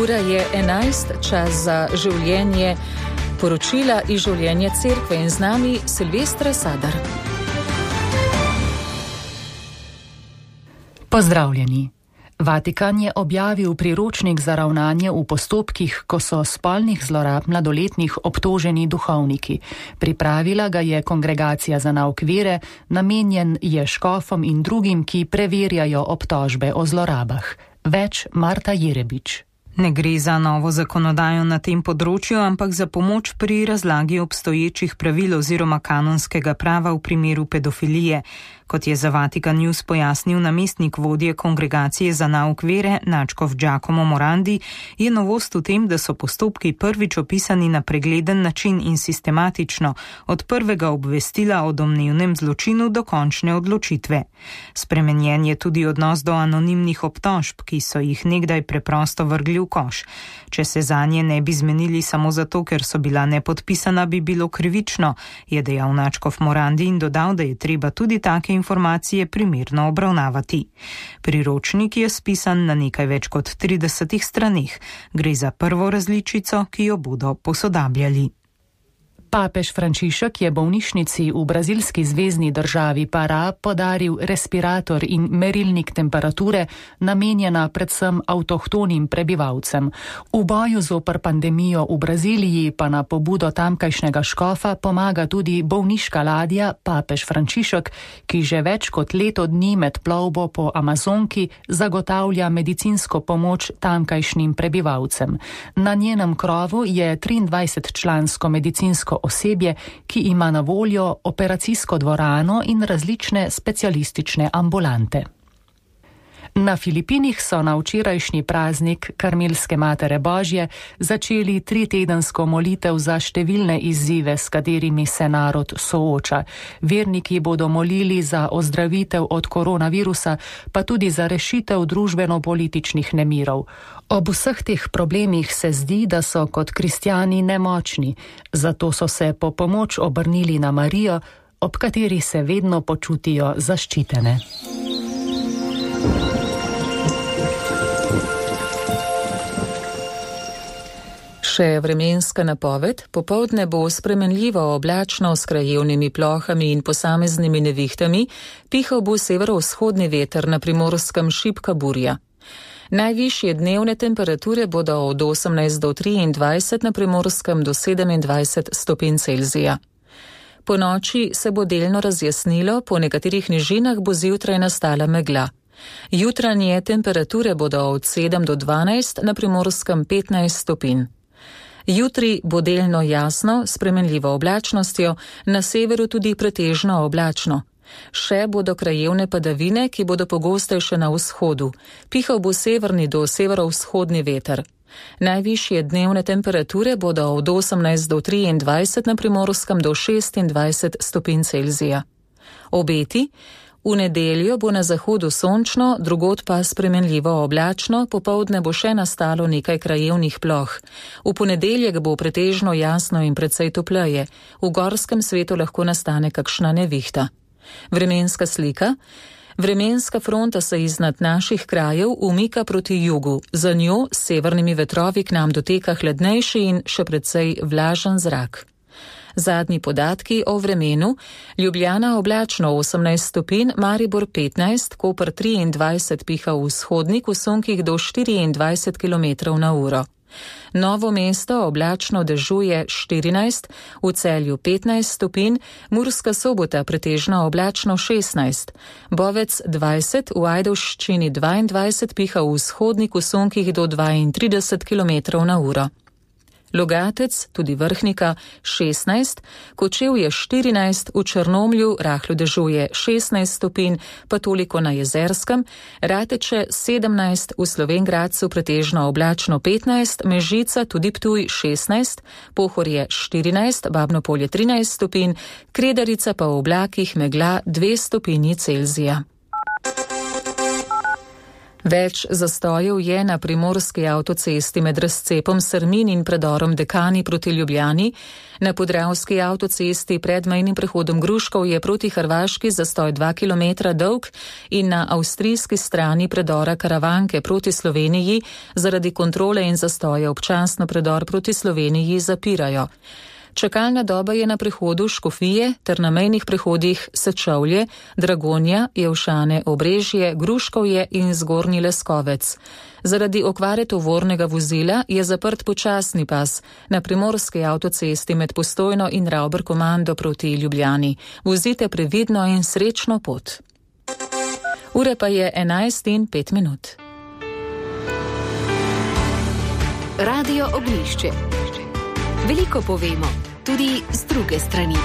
Ura je 11, čas za življenje, poročila iz življenja cerkve in z nami Silvestra Sadar. Pozdravljeni. Vatikan je objavil priročnik za ravnanje v postopkih, ko so spolnih zlorab mladoletnih obtoženi duhovniki. Pripravila ga je Kongregacija za nauk vere, namenjen je škofom in drugim, ki preverjajo obtožbe o zlorabah. Več Marta Jerebič. Ne gre za novo zakonodajo na tem področju, ampak za pomoč pri razlagi obstoječih pravil oziroma kanonskega prava v primeru pedofilije. Kot je za Vatikan News pojasnil namestnik vodje Kongregacije za nauk vere Načkov Giacomo Morandi, je novost v tem, da so postopki prvič opisani na pregleden način in sistematično, od prvega obvestila o domnevnem zločinu do končne odločitve. Spremenjen je tudi odnos do anonimnih obtožb, ki so jih nekdaj preprosto vrgli v koš. Če se zanje ne bi zmenili samo zato, ker so bila nepodpisana, bi bilo krivično, je dejal Načkov Morandi in dodal, da je treba tudi take informacije primerno obravnavati. Priročnik je spisan na nekaj več kot 30 straneh. Gre za prvo različico, ki jo bodo posodabljali. Papež Frančišek je bolnišnici v brazilski zvezni državi Pará podaril respirator in merilnik temperature, namenjena predvsem avtohtonim prebivalcem. V boju zoper pandemijo v Braziliji pa na pobudo tamkajšnjega škofa pomaga tudi bolniška ladja Papež Frančišek, ki že več kot leto dni med plovbo po Amazonki zagotavlja medicinsko pomoč tamkajšnjim prebivalcem. Na njenem krovu je 23-člansko medicinsko osebje, ki ima na voljo operacijsko dvorano in različne specialistične ambulante. Na Filipinih so na včerajšnji praznik Karmelske Matere Božje začeli 3-tedensko molitev za številne izzive, s katerimi se narod sooča. Verniki bodo molili za ozdravitev od koronavirusa, pa tudi za rešitev družbeno-političnih nemirov. Ob vseh teh problemih se zdi, da so kot kristjani nemočni, zato so se po pomoč obrnili na Marijo, ob kateri se vedno počutijo zaščitene. Še vremenska napoved. Popoldne bo spremenljivo oblačno s krajevnimi plohami in posameznimi nevihtami, pihal bo severovzhodni veter, na Primorskem šibka burja. Najvišje dnevne temperature bodo od 18 do 23, na Primorskem do 27 stopinj Celzija. Po noči se bo delno razjasnilo, po nekaterih nižinah bo zjutraj nastala megla. Jutranje temperature bodo od 7 do 12, na Primorskem 15 stopinj. Jutri bo delno jasno, s spremenljivo oblačnostjo, na severu tudi pretežno oblačno. Še bodo krajevne padavine, ki bodo pogostejše na vzhodu. Pihal bo severni do severovzhodni veter. Najvišje dnevne temperature bodo od 18 do 23, na Primorskem do 26 stopinj Celzija. Obeti. V nedeljo bo na zahodu sončno, drugod pa spremenljivo oblačno, popoldne bo še nastalo nekaj krajevnih ploh. V ponedeljek bo pretežno jasno in precej topleje. V gorskem svetu lahko nastane kakšna nevihta. Vremenska slika. Vremenska fronta se iznad naših krajev umika proti jugu. Za njo s severnimi vetrovi k nam doteka hladnejši in še precej vlažen zrak. Zadnji podatki o vremenu. Ljubljana oblačno 18 stopinj, Maribor 15, Koper 23, piha v vzhodnik, v sunkih do 24 km na uro. Novo mesto oblačno dežuje 14, v Celju 15 stopinj, Murska Sobota pretežno oblačno 16, Bovec 20, v Ajdovščini 22, piha v vzhodnik, v sunkih do 32 km na uro. Logatec, tudi Vrhnika, 16, Kočevje 14, v Črnomlju rahlo dežuje 16 stopinj, pa toliko na Jezerskem, Rateče 17, v Slovenj Gradcu pretežno oblačno 15, Mežica, tudi Ptuj 16, Pohorje 14, Babno Polje 13 stopinj, Kredarica pa v oblakih megla 2 stopinji Celzija. Več zastojev je na primorski avtocesti med razcepom Srmin in predorom Dekani proti Ljubljani. Na podravski avtocesti pred mejnim prehodom Gruškov je proti Hrvaški zastoj 2 km dolg in na avstrijski strani predora Karavanke proti Sloveniji zaradi kontrole in zastoja občasno predor proti Sloveniji zapirajo. Čakalna doba je na prehodu Škofije ter na mejnih prehodih Sečovlje, Dragonja, Jevšane, Obrežje, Gruškovje in Zgornji Leskovec. Zaradi okvare tovornega vozila je zaprt počasni pas na primorski avtocesti med Postojno in Ravber-Komando proti Ljubljani. Vozite previdno in srečno pot. Ure pa je 11:05. Radio Oglišče. Veliko povemo, tudi z druge strani.